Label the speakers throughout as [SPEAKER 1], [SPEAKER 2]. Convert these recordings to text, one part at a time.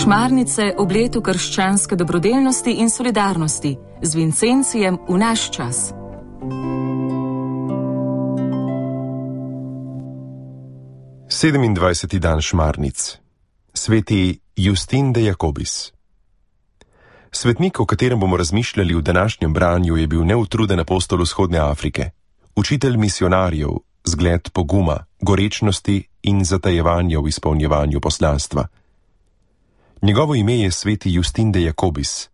[SPEAKER 1] Šmarnice ob letu krščanske dobrodelnosti in solidarnosti z Vincencijem v naš čas.
[SPEAKER 2] Sedemindvajseti dan Šmarnic. Sveti Justin de Jacobis. Svetnik, o katerem bomo razmišljali v današnjem branju, je bil neutruden apostol vzhodne Afrike, učitelj misionarjev, zgled poguma, gorečnosti in zatajevanja v izpolnjevanju poslanstva. Njegovo ime je sveti Justin de Jacobis.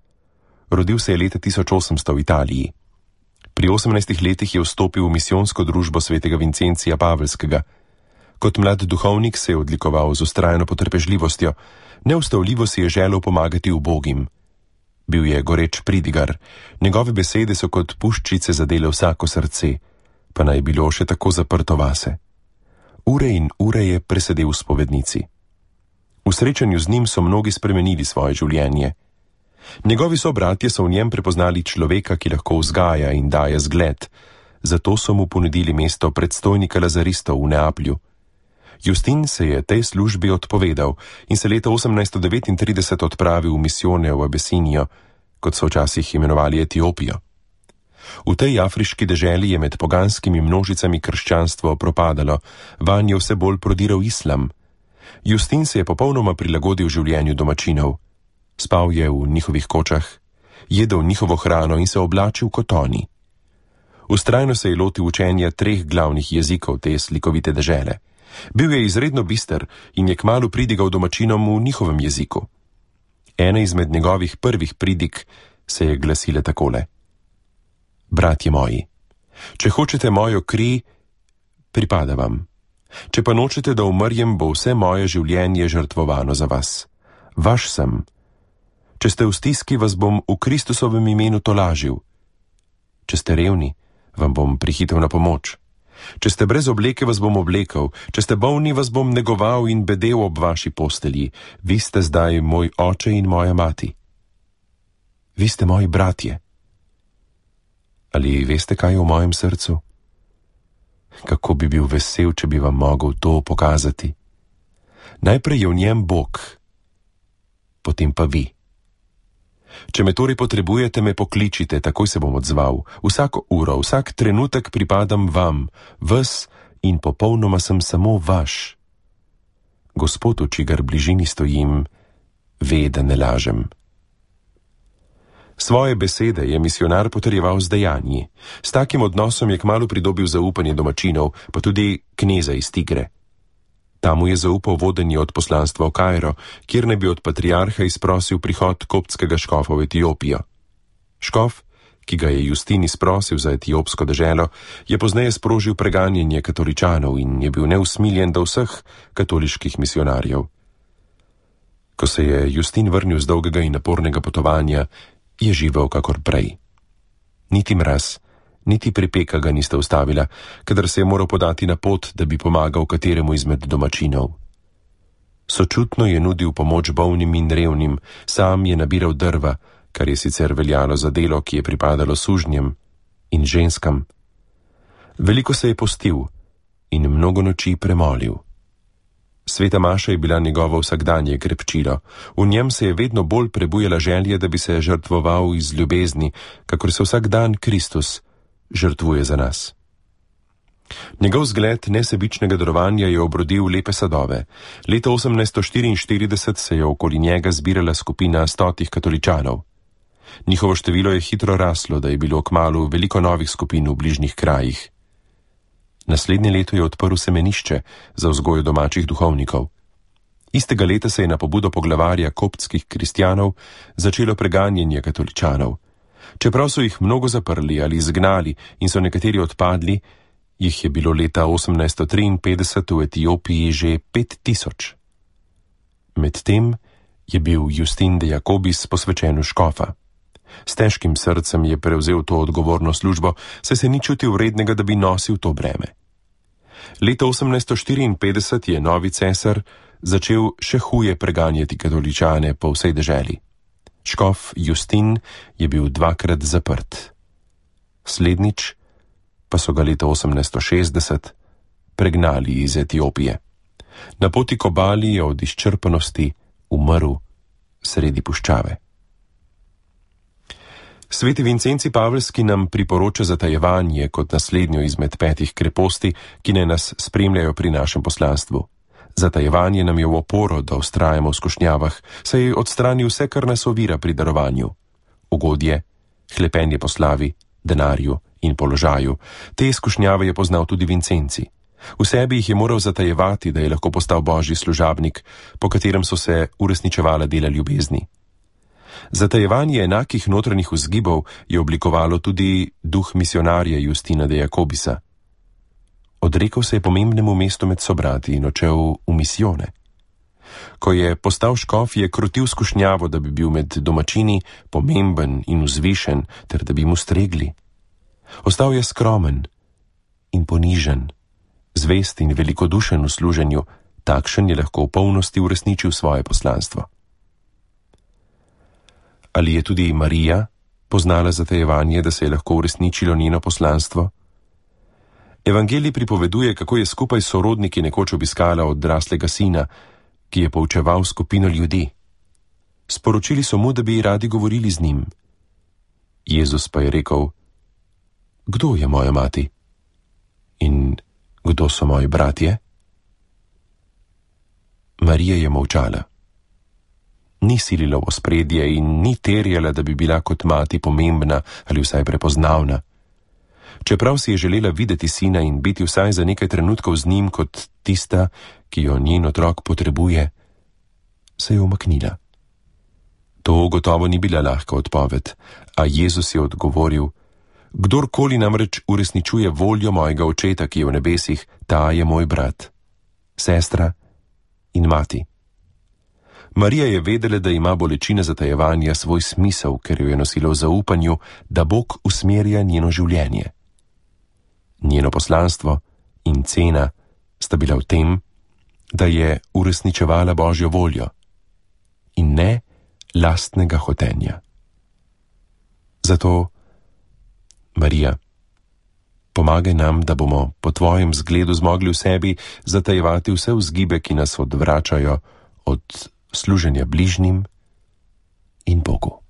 [SPEAKER 2] Rodil se je leta 1800 v Italiji. Pri 18 letih je vstopil v misijonsko družbo svetega Vincencija Pavelskega. Kot mlad duhovnik se je odlikoval z vztrajno potrpežljivostjo, neustavljivo si je želel pomagati ubogim. Bil je goreč pridigar, njegove besede so kot puščice zadele vsako srce, pa naj bilo še tako zaprto vase. Ure in ure je presedel v spovednici. V srečanju z njim so mnogi spremenili svoje življenje. Njegovi sobratje so v njem prepoznali človeka, ki lahko vzgaja in daje zgled, zato so mu ponudili mesto predstojnika lazaristov v Neaplju. Justin se je tej službi odpovedal in se leta 1839 odpravil v misijone v Abesinijo, kot so včasih imenovali Etiopijo. V tej afriški deželi je med poganskimi množicami krščanstvo propadalo, vanje vse bolj prodiral islam. Justin se je popolnoma prilagodil življenju domačinov. Spal je v njihovih kočah, jedel njihovo hrano in se oblačil kot oni. Vztrajno se je lotil učenja 3 glavnih jezikov te slikovite dežele. Bil je izredno bister in je kmalu pridigal domačinom v njihovem jeziku. Ena izmed njegovih prvih pridig se je glasila takole: Bratje moji, če hočete mojo kri, pripada vam. Če pa nočete, da umrjem, bo vse moje življenje žrtvovano za vas. Vaš sem. Če ste v stiski, vas bom v Kristusovem imenu tolažil. Če ste revni, vam bom prihitel na pomoč. Če ste brez obleke, vas bom oblekel. Če ste bolni, vas bom negoval in bedel ob vaši postelji. Vi ste zdaj moj oče in moja mati. Vi ste moji bratje. Ali veste, kaj je v mojem srcu? Kako bi bil vesel, če bi vam mogel to pokazati. Najprej je v njem Bog, potem pa vi. Če me torej potrebujete, me pokličite, takoj se bom odzval. Vsako uro, vsak trenutek pripadam vam, ves in popolnoma sem samo vaš. Gospod, v čigar bližini stojim, ve, da ne lažem. Svoje besede je misionar potrjeval z dejanji. S takim odnosom je kmalu pridobil zaupanje domačinov, pa tudi kneza iz Tigre. Tam mu je zaupal vodenje od poslanstva v Kairo, kjer ne bi od patriarha izprosil prihod koptskega škofa v Etiopijo. Škof, ki ga je Justin izprosil za etiopsko deželo, je pozneje sprožil preganjanje katoličanov in je bil neusmiljen do vseh katoliških misionarjev. Ko se je Justin vrnil z dolgega in napornega potovanja, je živel kakor prej. Niti mraz, niti pripeka ga nista ustavila, kadar se je moral podati na pot, da bi pomagal kateremu izmed domačinov. Sočutno je nudil pomoč bolnim in revnim, sam je nabiral drva, kar je sicer veljalo za delo, ki je pripadalo sužnjem in ženskam. Veliko se je postil in mnogo noči premolil. Sveta maša je bila njegovo vsakdanje krepčilo. V njem se je vedno bolj prebujala želja, da bi se žrtvoval iz ljubezni, kakor se vsak dan Kristus žrtvuje za nas. Njegov zgled nesebičnega darovanja je obrodil lepe sadove. Leta 1844 se je okoli njega zbirala skupina 100 katoličanov. Njihovo število je hitro raslo, da je bilo kmalu veliko novih skupin v bližnjih krajih. Naslednje leto je odprl semenišče za vzgojo domačih duhovnikov. Istega leta se je na pobudo poglavarja koptskih kristjanov začelo preganjanje katoličanov. Čeprav so jih mnogo zaprli ali izgnali in so nekateri odpadli, jih je bilo leta 1853 v Etiopiji že 5000. Medtem je bil Justin de Jacobis posvečen v škofa. S težkim srcem je prevzel to odgovorno službo, saj se ni čutil vrednega, da bi nosil to breme. Leta 1854 je novi cesar začel še huje preganjati katoličane po vsej deželi. Škof Justin je bil 2-krat zaprt. Slednjič pa so ga leta 1860 pregnali iz Etiopije. Na poti k obali je od izčrpanosti umrl sredi puščave. Sveti Vincenci Pavelski nam priporoča zatajevanje kot naslednjo izmed 5 kreposti, ki naj nas spremljajo pri našem poslanstvu. Zatajevanje nam je v oporo, da vztrajamo v skušnjavah, saj odstrani vse, kar nas ovira pri darovanju. Ugodje, hlepenje po slavi, denarju in položaju. Te skušnjave je poznal tudi Vincenci. V sebi jih je moral zatajevati, da je lahko postal božji služabnik, po katerem so se uresničevala dela ljubezni. Zatajevanje enakih notranjih vzgibov je oblikovalo tudi duh misionarja Justina de Jacobisa. Odrekel se je pomembnemu mestu med sobrati in odšel v misijone. Ko je postal škof, je krotil skušnjavo, da bi bil med domačini pomemben in vzvišen, ter da bi mu stregli. Ostal je skromen in ponižen, zvest in velikodušen v služenju, takšen je lahko v polnosti uresničil svoje poslanstvo. Ali je tudi Marija poznala zatajevanje, da se je lahko uresničilo njeno poslanstvo? Evangelij pripoveduje, kako je skupaj s sorodniki nekoč obiskala odraslega sina, ki je poučeval skupino ljudi. Sporočili so mu, da bi radi govorili z njim. Jezus pa je rekel: Kdo je moja mati? In kdo so moji bratje? Marija je molčala. Ni silila v ospredje in ni terjala, da bi bila kot mati pomembna ali vsaj prepoznavna. Čeprav si je želela videti sina in biti vsaj za nekaj trenutkov z njim kot tista, ki jo njen otrok potrebuje, se je umaknila. To gotovo ni bila lahka odpoved, a Jezus je odgovoril: Kdorkoli namreč uresničuje voljo mojega očeta, ki je v nebesih, ta je moj brat, sestra in mati. Marija je vedela, da ima bolečina zatajevanja svoj smisel, ker jo je nosila v zaupanju, da Bog usmerja njeno življenje. Njeno poslanstvo in cena sta bila v tem, da je uresničevala Božjo voljo in ne lastnega hotenja. Zato, Marija, pomagaj nam, da bomo po tvojem zgledu zmogli v sebi zatajevati vse vzgibe, ki nas odvračajo od služenja bližnjim in Bogu.